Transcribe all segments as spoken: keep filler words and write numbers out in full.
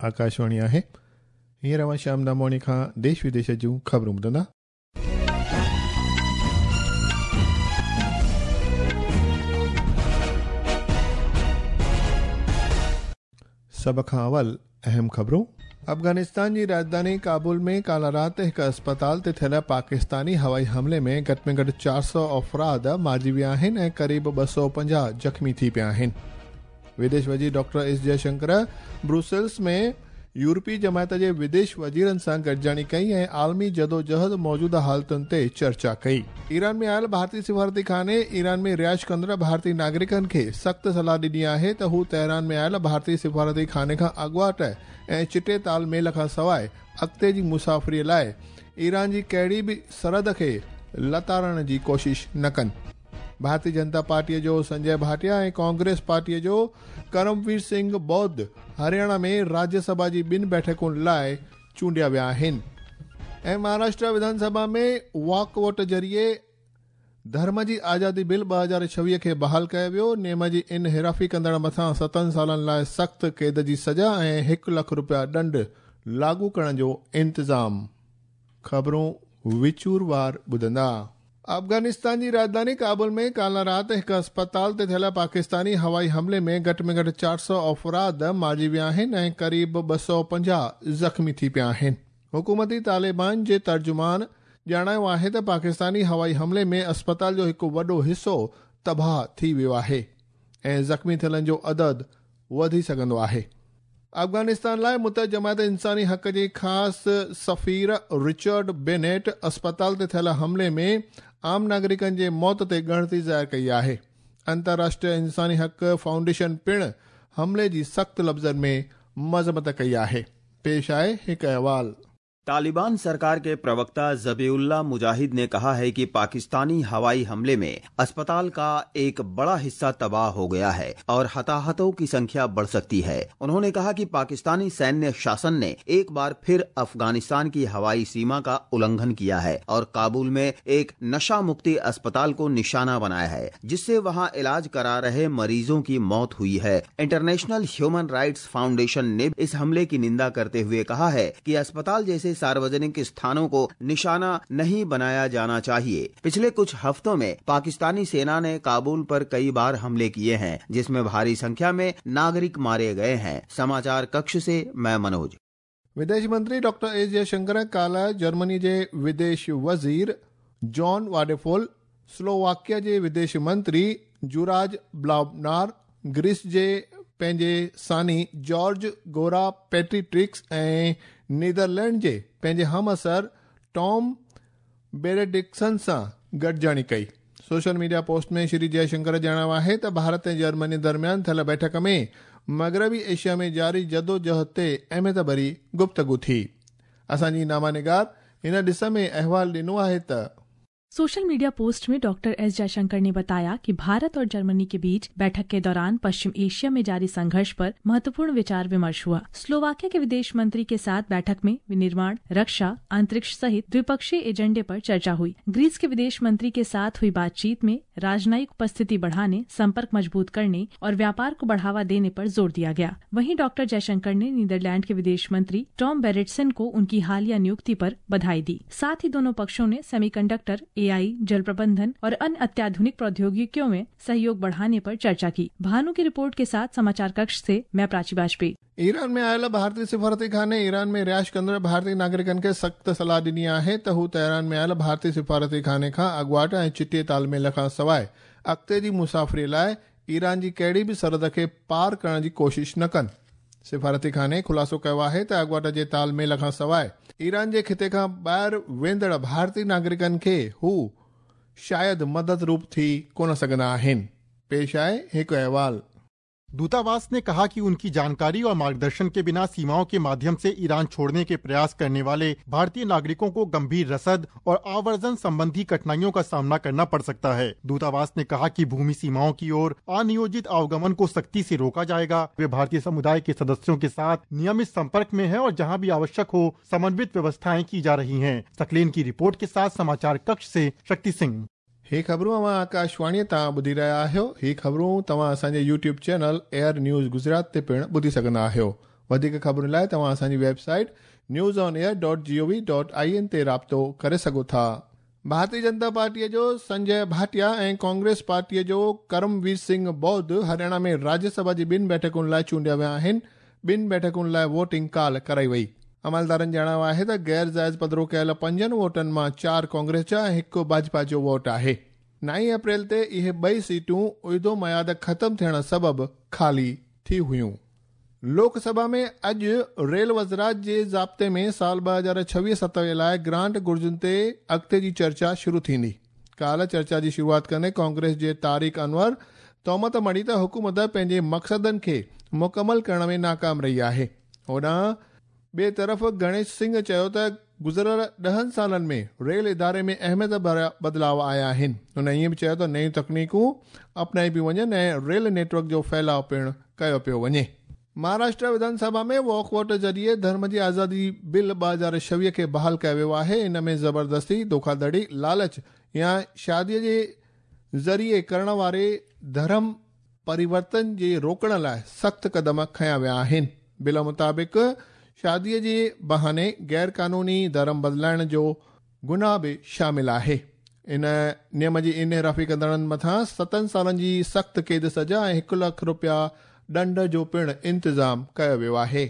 आकाशवाणी आहे। हींअर अव्हां श्याम दामवाणी खां देश विदेश जूं ख़बरूं ॿुधंदा। सभ खां अवल अहम ख़बरूं। अफ़गानिस्तान जी राजधानी काबुल में काल राति हिकु अस्पताल ते थियल पाकिस्तानी हवाई हमले में घटि में घटि चारि सौ अफ़राद मारिजी विया आहिनि ऐं क़रीब ॿ सौ पंजाह ज़ख़्मी थी पिया आहिनि। विदेश वज़ीर डॉक्टर एस जयशंकर ब्रुसेल्स में यूरोपीय जमायत जे विदेश वज़ीरनि सां गॾिजाणी कई ऐं आलमी जदोजहद मौजूदा हालतुनि ते चर्चा कई। ईरान में आयल भारतीय सिफारती खाने ईरान में रिहाइश कंदड़ भारतीय नागरिकनि खे सख़्तु सलाह ॾिनी आहे त हू तेहरान में आयल भारतीय सिफारती खाने खां अॻुवाट ऐं चिटे तालमेल खां सवाइ अॻिते जी मुसाफ़िरीअ लाइ ईरान जी कहिड़ी बि सरहद खे लताड़ण जी कोशिश न कनि। भारतीय जनता पार्टीअ जो संजय भाटिया ऐं कांग्रेस पार्टीअ जो करमवीर सिंह बौद्ध हरियाणा में राज्यसभा जी ॿिनि बैठकुनि लाइ चूंडिया विया आहिनि। ऐं महाराष्ट्र विधानसभा में वॉकआउट ज़रिए धर्म जी आज़ादी बिल ॿ हज़ार छवीह खे बहाल कयो वियो। नियम जी इनहिराफ़ी कंदड़ मथां सतनि सालनि लाइ सख़्तु क़ैद जी सज़ा ऐं हिकु लख रुपया ॾंड लागू करण जो इंतज़ाम। ख़बरूं विचूरवार ॿुधंदा। अफ़गानिस्तान जी राजधानी काबुल में काल राति हिकु अस्पताल ते थियल पाकिस्तानी हवाई हमले में घटि में घटि चारि सौ अफ़राद मारिजी विया आहिनि ऐं क़रीब ॿ सौ पंजाह ज़ख़्मी थी पिया आहिनि। हुकूमती तालिबान जे तर्जुमान ॼाणायो आहे त पाकिस्तानी हवाई हमले में अस्पताल जो हिकु वॾो हिसो तबाह थी वियो आहे ऐं ज़ख़्मी थियलनि जो अदद वधी सघंदो आहे। अफ़गानिस्तान लाइ मुतहद जमायत इंसानी हक़ जे ख़ासि सफ़ीर रिचर्ड बेनेट अस्पताल ते थियल हमले में आम नागरिकनि जे मौत ते ॻणती ज़ाहिर कई आहे। अंतर्राष्ट्रीय इंसानी हक़ फाउंडेशन पिणु हमले जी सख़्तु लफ़्ज़नि में मज़म्मत कई आहे। पेश आहे हिकु अहवाल। तालिबान सरकार के प्रवक्ता ज़बीउल्लाह मुजाहिद ने कहा है कि पाकिस्तानी हवाई हमले में अस्पताल का एक बड़ा हिस्सा तबाह हो गया है और हताहतों की संख्या बढ़ सकती है। उन्होंने कहा कि पाकिस्तानी सैन्य शासन ने एक बार फिर अफगानिस्तान की हवाई सीमा का उल्लंघन किया है और काबुल में एक नशा मुक्ति अस्पताल को निशाना बनाया है, जिससे वहां इलाज करा रहे मरीजों की मौत हुई है। इंटरनेशनल ह्यूमन राइट्स फाउंडेशन ने इस हमले की निंदा करते हुए कहा है कि अस्पताल जैसे सार्वजनिक स्थानों को निशाना नहीं बनाया जाना चाहिए। पिछले कुछ हफ्तों में पाकिस्तानी सेना ने काबुल पर कई बार हमले किए हैं, जिसमें भारी संख्या में नागरिक मारे गए हैं। समाचार कक्ष से मैं मनोज। विदेश मंत्री डॉक्टर एस जयशंकर काल जर्मनी जे विदेश वज़ीर जॉन वाडेफोल, स्लोवाकिया जे विदेश मंत्री जुराज ब्लाबनार, ग्रीस जे पंहिंजे सानी जॉर्ज गोरा पेट्रीट्रिक्स ऐं नीदरलैंड जे पंहिंजे हमअसर टॉम बेरेडिक्सन सां गॾिजाणी कई। सोशल मीडिया पोस्ट में श्री जयशंकर ॼाणायो आहे त भारत ऐं जर्मनी दरमियान थियल बैठक में मग़रबी एशिया में जारी जदोजहद ते अहमियत भरी गुफ्तगू थी। असांजी नामानिगार हिन ॾिस में अहवाल ॾिनो आहे त सोशल मीडिया पोस्ट में डॉक्टर एस जयशंकर ने बताया कि भारत और जर्मनी के बीच बैठक के दौरान पश्चिम एशिया में जारी संघर्ष पर महत्वपूर्ण विचार विमर्श हुआ। स्लोवाकिया के विदेश मंत्री के साथ बैठक में विनिर्माण, रक्षा, अंतरिक्ष सहित द्विपक्षीय एजेंडे पर चर्चा हुई। ग्रीस के विदेश मंत्री के साथ हुई बातचीत में राजनयिक उपस्थिति बढ़ाने, संपर्क मजबूत करने और व्यापार को बढ़ावा देने पर जोर दिया गया। वहीं डॉक्टर जयशंकर ने नीदरलैंड के विदेश मंत्री टॉम बेरेटसन को उनकी हालिया नियुक्ति पर बधाई दी। साथ ही दोनों पक्षों ने सेमीकंडक्टर, एआई, जल प्रबंधन और अन्य अत्याधुनिक प्रौद्योगिकियों में सहयोग बढ़ाने पर चर्चा की। भानु की रिपोर्ट के साथ समाचार कक्ष से मैं प्राची वाजपेयी। ईरान में आयल भारतीय सिफारती खाने ईरान में रिहाइश कंदड़ भारतीय नागरिकनि खे सख़्तु सलाह ॾिनी आहे त हू तेहरान में आयल भारतीय सिफारती खाने खां अॻुवाट ऐं चिटे तालमेल खां सवाइ अॻिते जी मुसाफ़िरीअ लाइ ईरान जी कहिड़ी बि सरहद खे पार करण जी कोशिश न कनि। सिफारती खाने ख़ुलासो कयो आहे त अॻुवाट जे तालमेल खां सवाइ ईरान जे खिते खां ॿाहिरि वेंदड़ भारतीय नागरिकनि खे हू शायदि मदद रूप थी कोन सघंदा आहिनि। पेश आहे हिकु अहवाल। दूतावास ने कहा कि उनकी जानकारी और मार्गदर्शन के बिना सीमाओं के माध्यम से ईरान छोड़ने के प्रयास करने वाले भारतीय नागरिकों को गंभीर रसद और आवर्जन संबंधी कठिनाइयों का सामना करना पड़ सकता है। दूतावास ने कहा कि भूमि सीमाओं की ओर अनियोजित आवागमन को सख्ती से रोका जाएगा। वे भारतीय समुदाय के सदस्यों के साथ नियमित संपर्क में है और जहाँ भी आवश्यक हो समन्वित व्यवस्थाएं की जा रही है। सकलेन की रिपोर्ट के साथ समाचार कक्ष से शक्ति सिंह। ही ख़बरूं अव्हां आकाशवाणीअ तां ॿुधी रहिया आहियो। ही ख़बरूं तव्हां असांजे YouTube channel air news Gujarat ते पिणु ॿुधी सघंदा आहियो। वधीक ख़बरुनि लाइ तव्हां असांजी website news on air dot G O V dot I N ते राब्तो करे सघो था। भारतीय जनता पार्टीअ जो संजय भाटिया ऐं कांग्रेस पार्टीअ जो करमवीर सिंह बौद्ध हरियाणा में राज्यसभा जी ॿिनि बैठकुनि लाइ चूंडिया विया आहिनि। ॿिनि बैठकुनि लाइ वोटिंग काल्ह कराई वई। अमलदारनि ॼाणायो आहे त गैर जाइज़ पधरो कयल पंजनि वोटनि मां चारि कांग्रेस जा ऐं हिकु भाजपा जो वोट आहे। नाई अप्रैल ते इहे ॿई सीटूं उहिदो मयाद ख़तमु थियण सबबु खाली थी हुयूं। लोकसभा में अॼु रेल वज़रात जे ज़ाब्ते में साल ॿ हज़ार छवीह सतावीह लाइ ग्रांट घुर्जुनि ते अॻिते जी चर्चा शुरू थींदी। काल्ह चर्चा जी शुरूआत कंदे कांग्रेस जे तारिक अनवर तोहमत मढ़ी त हुकूमत पंहिंजे मक़सदनि खे मुकमल करण में नाकाम रही आहे। होॾां ॿिए तरफ़ गणेश सिंह चयो त गुज़िरियल ॾहनि सालनि में रेल इदारे में अहमियत भरिया बदिलाव आया आहिनि। हुन ईअं बि चयो त नयूं तकनीकूं अपनाई पियूं वञनि ऐं रेल नेटवर्क जो फैलाव पिणु कयो पियो वञे। महाराष्ट्र विधानसभा में वॉकआउट ज़रिए धर्म जी आज़ादी बिल ॿ हज़ार छवीह खे बहाल कयो वियो आहे। इन में ज़बरदस्ती, धोखाधड़ी, लालच या शादीअ जे ज़रिए करण वारे धर्म परिवर्तन जे रोकण लाइ सख़्तु कदम खयां विया आहिनि। बिल मुताबिक़ शादीअ जे बहाने गैर कानूनी धर्म बदिलाइण जो गुनाह बि शामिल आहे। इन नियम जी इनहिराफ़ी कंदड़नि मथां सतनि सालनि जी सख़्तु क़ैद सज़ा ऐं हिकु लख रुपया ॾंढ जो पिणु इंतज़ाम कयो वियो आहे।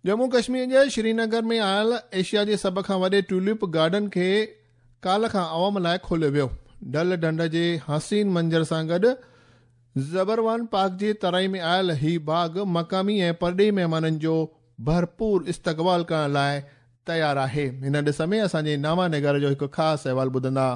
जम्मू कश्मीर जे श्रीनगर में आयल एशिया जे सभ खां वॾे ट्यूलिप गार्डन खे काल्ह खां अवाम लाइ खोलियो वियो। डल ढंढ जे हसीन मंज़र सां गॾु ज़बरवान पार्क जे तराई में आयल ही बाग़ मक़ामी ऐं परॾेही महिमाननि जो भरपूर इस्तक़बाल करण लाइ तयारु आहे। हिन ॾिस में असांजे नामा निगार जो हिकु ख़ासि अहवाल ॿुधंदा।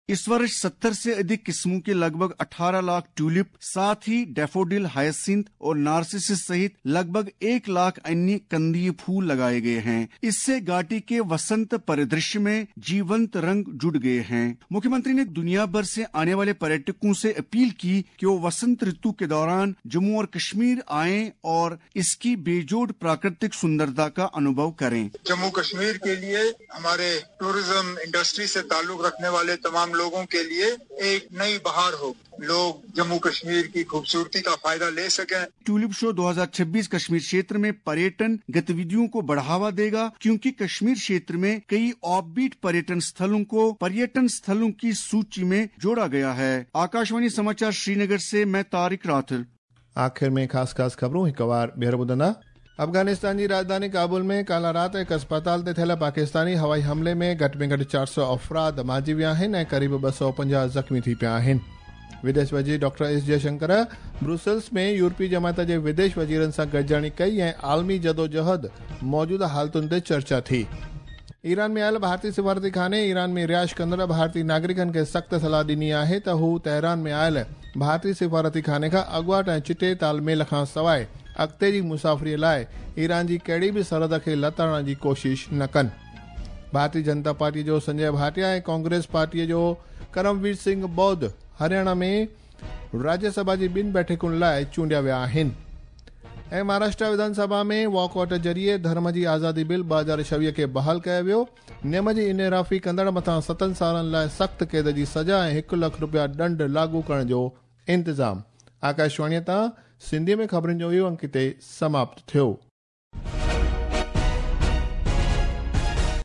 इस वर्ष सत्तर से अधिक किस्मों के लगभग अठारह लाख ट्यूलिप, साथ ही डैफोडिल, हायसिंथ और नार्सिसस सहित लगभग एक लाख अन्य कंदीय फूल लगाए गए हैं। इससे घाटी के वसंत परिदृश्य में जीवंत रंग जुड़ गए हैं। मुख्यमंत्री ने दुनिया भर से आने वाले पर्यटकों से अपील की कि वो वसंत ऋतु के दौरान जम्मू और कश्मीर आए और इसकी बेजोड़ प्राकृतिक सुंदरता का अनुभव करें। जम्मू कश्मीर के लिए हमारे टूरिज्म इंडस्ट्री से ताल्लुक रखने वाले तमाम लोगों के लिए एक नई बहार हो, लोग जम्मू कश्मीर की खूबसूरती का फायदा ले सकें। ट्यूलिप शो दो हज़ार छब्बीस कश्मीर क्षेत्र में पर्यटन गतिविधियों को बढ़ावा देगा, क्योंकि कश्मीर क्षेत्र में कई ऑफबीट पर्यटन स्थलों को पर्यटन स्थलों की सूची में जोड़ा गया है। आकाशवाणी समाचार श्रीनगर से मैं तारिक राथर। आखिर में खास खास खबरूं हिकु वार ॿीहर ॿुधंदा। अफ़गानिस्तान जी राजधानी काबुल में काल्ह राति हिकु अस्पताल ते थियल पाकिस्तानी हवाई हमले में घटि में घटि चारि सौ अफ़राद मारिजी विया आहिनि ऐं क़रीबु ॿ सौ पंजाह ज़ख़्मी थी पिया आहिनि। विदेश वज़ीर डॉक्टर एस जयशंकर ब्रुसेल्स में यूरोपीय जमात जे विदेश वज़ीरनि सां गॾिजाणी कई ऐं आलमी जदोजहद मौजूदा हालतुनि ते चर्चा थी। ईरान में आयल भारतीय सिफारती खाने ईरान में रिहाइश कंदड़ भारतीय नागरिकनि खे सख़्तु सलाह ॾिनी आहे त हू तेहरान में आयल भारतीय सिफारती खाने खां अॻुवाट ऐं चिटे तालमेल खां सवाइ अॻिते जी मुसाफ़िरीअ लाइ ईरान जी कहिड़ी बि सरहद खे लताड़ण जी कोशिश न कनि। भारतीय जनता पार्टी जो संजय भाटिया ऐं कांग्रेस पार्टीअ जो करमवीर सिंह बौद्ध हरियाणा में राज्यसभा जी ॿिनि बैठकुनि लाइ चूंडिया विया आहिनि। ऐं महाराष्ट्र विधानसभा में वॉकआउट ज़रिए धर्म जी आज़ादी बिल ॿ हज़ार छवीह खे बहाल कयो वियो। नियम जी इनहिराफ़ी कंदड़ मथां सतनि सालनि लाइ सख़्तु क़ैद जी सज़ा ऐं हिकु लख रुपया ॾंढ लागू करण जो इंतज़ाम। आकाशवाणीअ तां सिंधीअ में ख़बरुनि जो इहो अंक हिते समाप्त थियो।